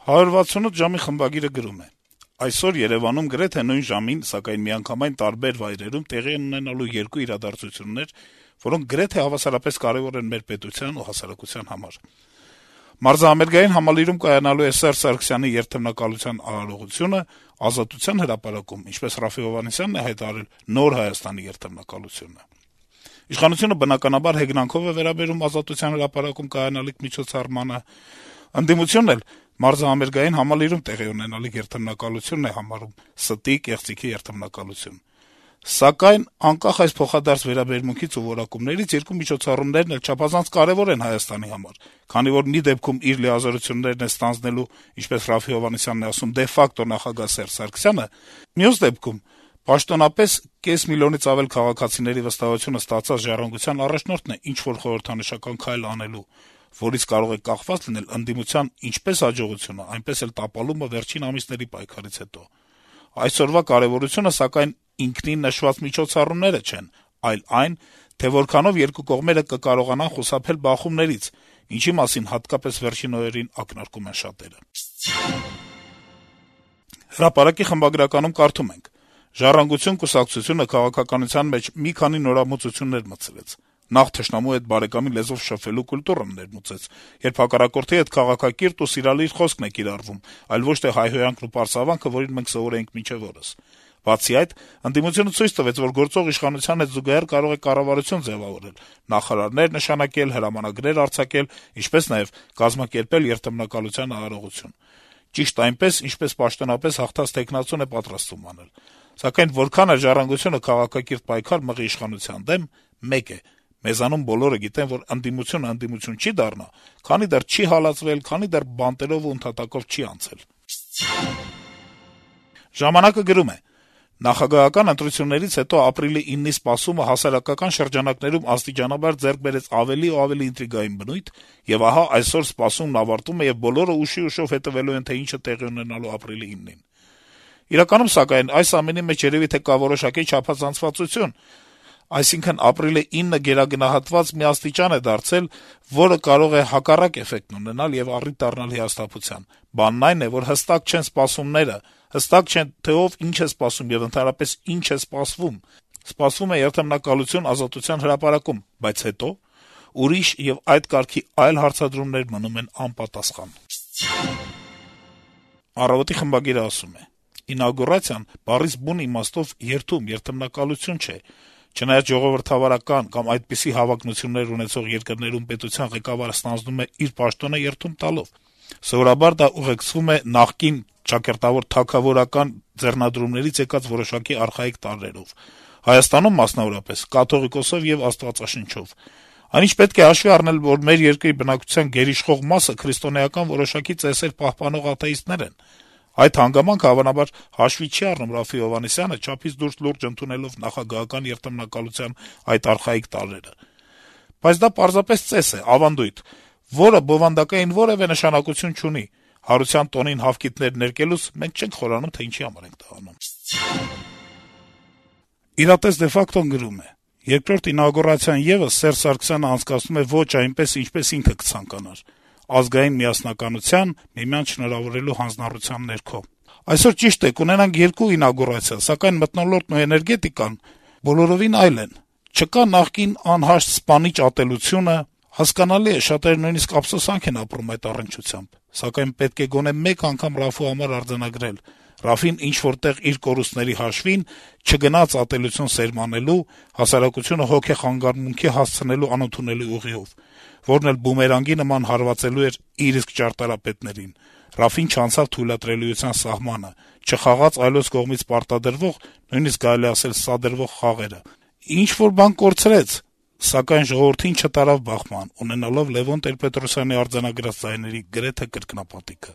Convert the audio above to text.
168 ժամի խմբագիրը գրում է. - Այսօր Երեւանում գրեթե նույն ժամին, սակայն միանգամայն տարբեր վայրերում տեղի են ունենալու երկու իրադարձություններ, որոնք գրեթե հավասարապես կարեւոր են մեր պետության ու հասարակության համար: Մարզահամերգային համալիրում կայանալու է Սերժ Սարգսյանի երթեմնակալության արարողությունը, Ազատության հրապարակում, ինչպես Րաֆֆի Հովհաննիսյանն է հայտարարել, Նոր Հայաստանի երթեմնակալությունը: Իշխանությունը բնականաբար հեգնանքով է վերաբերում Ազատության հրապարակում կայանալիք միջոցառմանը, ընդդիմությունն էլ մարզահամերգային համալիրում տեղի ունենալիք երթեմնակալությունն է համարում ստի, կեղծիքի երթեմնակալություն: Սակայն, անկախ այս փոխադարձ վերաբերմունքից ու որակումներից, երկու միջոցառումներն էլ չափազանց կարեւոր են Հայաստանի համար, քանի որ մի դեպքում իր լիազորություններն է ստանձնելու, ինչպես Րաֆֆի Հովհաննիսյանն է ասում, դե ֆակտո նախագահ Սերժ Սարգսյանը, մյուս դեպքում պաշտոնապես կես միլիոնից ավել քաղաքացիների վստահությունը ստացած «Ժառանգության» առաջնորդն է ինչ-որ խորհրդանշական քայլ անելու, որից կարող է կախված լինել ընդդիմության ինչպես հաջողությունը, այնպես էլ տապալումը վերջին ամիսների պայքարից հետո: Այսօրվա կարեւորությունը, սակայն, ինքնին նշված միջոցառումները չեն, այլ այն, թե որքանով երկու կողմերը կկարողանան խուսափել բախումներից, ինչի մասին հատկապես վերջին օրերին ակնարկում են շատերը: «Հրապարակ»-ի խմբագրականում կարդում ենք. - «Ժառանգություն» կուսակցությունը քաղաքականության մեջ մի քանի նորամուծություններ մտցրեց: Նախ թշնամու հետ բարեկամի լեզվով շփվելու կուլտուրան ներմուծեց, երբ հակառակորդի հետ քաղաքակիրթ ու սիրալիր խոսքն է կիրառվում, այլ ոչ թե հայհոյանքն ու պարծավանքը, որին մենք սովոր էինք մինչեւ օրս: Բացի այդ, ընդդիմությունը ցույց տվեց, որ գործող իշխանության հետ զուգահեռ կարող է կառավարություն ձեւավորել, նախարարներ նշանակել, հրամանագրեր արձակել, ինչպես նաեւ կազմակերպել երթեմնակալության արարողություն: Ճիշտ այնպես, ինչպես պաշտոնապես հաղթած թեկնածուն է պատրաստվում անել: Սակայն որքան էլ «Ժառանգությունը» քաղաքակիրթ պայքար մղի իշխանության դեմ, մեկ է. մեզանում բոլորը գիտեն, որ ընդդիմությունը ընդդիմություն չի դառնա, քանի դեռ չի հալածվել, քանի դեռ բանտերով ու ընդհատակով չի անցել»: «Ժամանակ»-ը գրում է. - «Նախագահական ընտրություններից հետո ապրիլի 9-ի սպասումը հասարակական շրջանակներում աստիճանաբար ձեռք բերեց ավելի ու ավելի ինտրիգային բնույթ, եւ ահա այսօր սպասումն ավարտվում է, եւ բոլորը ուշի-ուշով հետեւելու են, թե ինչ է տեղի ունենալու ապրիլի 9-ին: Իրականում, սակայն, այս ամենի մեջ երեւի թե կա որոշակի չափազանցվածություն, այսինքն ապրիլի 9-ը գերագնահատված մի աստիճան է դարձել, որը կարող է հակառակ էֆեկտն ունենալ եւ առիթ դառնալ հիասթափության: Բանն այն է, որ հստակ չեն սպասումները, հստակ չէ, թե ով ինչ է սպասում եւ ընդհանրապես ինչ է սպասվում: Սպասվում է երթեմնակալություն Ազատության հրապարակում, բայց հետո՞: Ուրիշ եւ այդ կարգի այլ հարցադրումներ մնում են անպատասխան»: «Առավոտ»-ի խմբագիրը ասում է. - «Ինագուրացիան բառից բուն իմաստով երթումնակալություն չէ: Չնայած ժողովրդավարական կամ այդպիսի հավակնություններ ունեցող երկրներում պետության ղեկավարը ստանձնում է իր պաշտոնը երթում տալով: Սովորաբար դա ուղեկցվում է նախկին ճակերտավոր թագավորական ձեռնադրումներից եկած որոշակի արխայիկ տարրերով, Հայաստանում, մասնավորապես, կաթողիկոսով եւ աստվածաշնչով: Այնինչ պետք է հաշվի առնել, որ մեր երկրի բնակչության գերիշխող մասը քրիստոնեական որոշակի ծեսեր պահպանող աթեիստներ են: Այդ հանգամանքը, հավանաբար, հաշվի չի առնում Րաֆֆի Հովհաննիսյանը, չափից դուրս լուրջ ընդունելով նախագահական երթեմնակալության այդ արխայիկ տարրերը: Բայց դա պարզապես ծես է, ավանդույթ, որը բովանդակային որեւէ նշանակություն չունի: Հարության տոնին հավկիթներ ներկելուց մենք չենք խորանում, թե ինչի համար ենք դա անում»: «Իրատես de facto-ն գրում է. - «Երկրորդ ինաուգուրացիան եւս Սերժ Սարգսյանը անցկացնում է ոչ այնպես, ինչպես ինքը կցանկանար` ազգային միասնականության, միմյանց շնորհավորելու հանձնառության ներքո: Այսօր, ճիշտ է, կունենանք երկու ինաուգուրացիա, սակայն մթնոլորտն ու էներգետիկան բոլորովին այլ են: Չկա նախկին անհաշտ սպանիչ ատելությունը: Հասկանալի է, շատերը նույնիսկ ափսոսանք են ապրում այդ առնչությամբ: Սակայն պետք է գոնե մեկ անգամ Րաֆֆու համար արձանագրել. Րաֆֆին ինչ-որ տեղ իր կորուստների հաշվին չգնաց ատելություն սերմանելու, հասարակությունը հոգեխանգարումքի հասցնելու անընդունելի ուղիով, որն էլ բումերանգի նման հարվածելու էր իր իսկ ճարտարապետներին: Րաֆֆին չանցավ թույլատրելիության սահմանը, չխաղաց այլոց կողմից պարտադրվող, նույնիսկ կարելի է ասել սադրվող խաղերը: Ինչ-որ բան կորցրեց, սակայն ժողովրդին չտարավ բախման, ունենալով Լեւոն Տեր-Պետրոսյանի արձանագրած ձայների գրեթե կրկնապատիքը»: